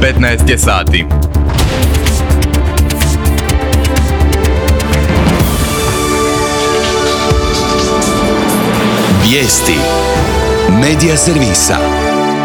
15 je sati. Vijesti Medija servisa.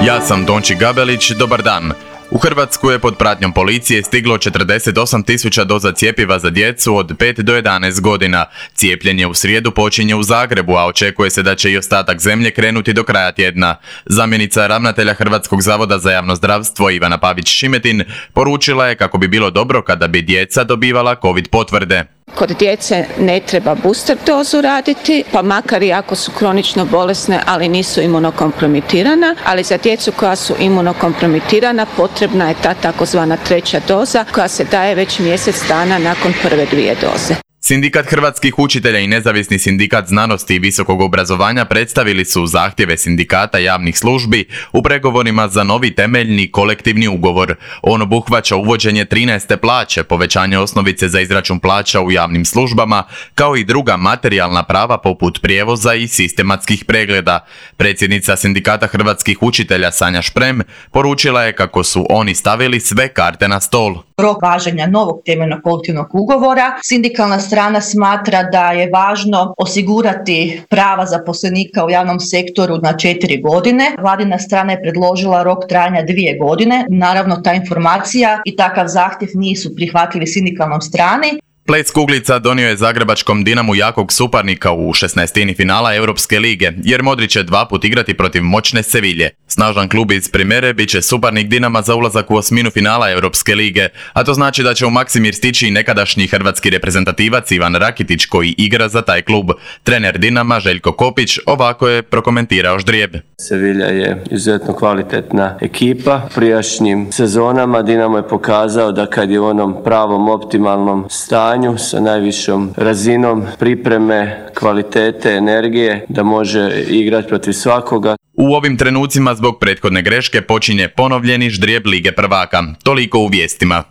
Ja sam Tonči Gabelić, dobar dan. U Hrvatsku je pod pratnjom policije stiglo 48.000 doza cjepiva za djecu od 5 do 11 godina. Cijepljenje u srijedu počinje u Zagrebu, a očekuje se da će i ostatak zemlje krenuti do kraja tjedna. Zamjenica ravnatelja Hrvatskog zavoda za javno zdravstvo Ivana Pavić-Šimetin poručila je kako bi bilo dobro kada bi djeca dobivala COVID potvrde. Kod djece ne treba booster dozu raditi, pa makar i ako su kronično bolesne, ali nisu imunokompromitirana, ali za djecu koja su imunokompromitirana potrebna je ta takozvana treća doza koja se daje već mjesec dana nakon prve 2 doze. Sindikat hrvatskih učitelja i nezavisni sindikat znanosti i visokog obrazovanja predstavili su zahtjeve sindikata javnih službi u pregovorima za novi temeljni kolektivni ugovor. On obuhvaća uvođenje 13. plaće, povećanje osnovice za izračun plaća u javnim službama, kao i druga materijalna prava poput prijevoza i sistematskih pregleda. Predsjednica sindikata hrvatskih učitelja Sanja Šprem poručila je kako su oni stavili sve karte na stol. Rok važenja novog temeljnog kolektivnog ugovora. Sindikalna strana smatra da je važno osigurati prava zaposlenika u javnom sektoru na 4 godine. Vladina strana je predložila rok trajanja 2 godine. Naravno, ta informacija i takav zahtjev nisu prihvatljivi sindikalnom strani. Ples kuglica donio je zagrebačkom Dinamu jakog suparnika u 16. finala Europske lige, jer Modrić će 2 put igrati protiv moćne Sevilje. Snažan klub iz Primere bit će suparnik Dinama za ulazak u 8. finala Europske lige, a to znači da će u Maksimir stići i nekadašnji hrvatski reprezentativac Ivan Rakitić koji igra za taj klub. Trener Dinama Željko Kopić ovako je prokomentirao ždrijeb. Sevilja je izuzetno kvalitetna ekipa. U prijašnjim sezonama Dinamo je pokazao da kad je u onom pravom optimalnom stanju sa najvišom razinom pripreme, kvalitete, energije, da može igrati protiv svakoga. U ovim trenucima zbog prethodne greške počinje ponovljeni ždrijeb Lige prvaka. Toliko u vijestima.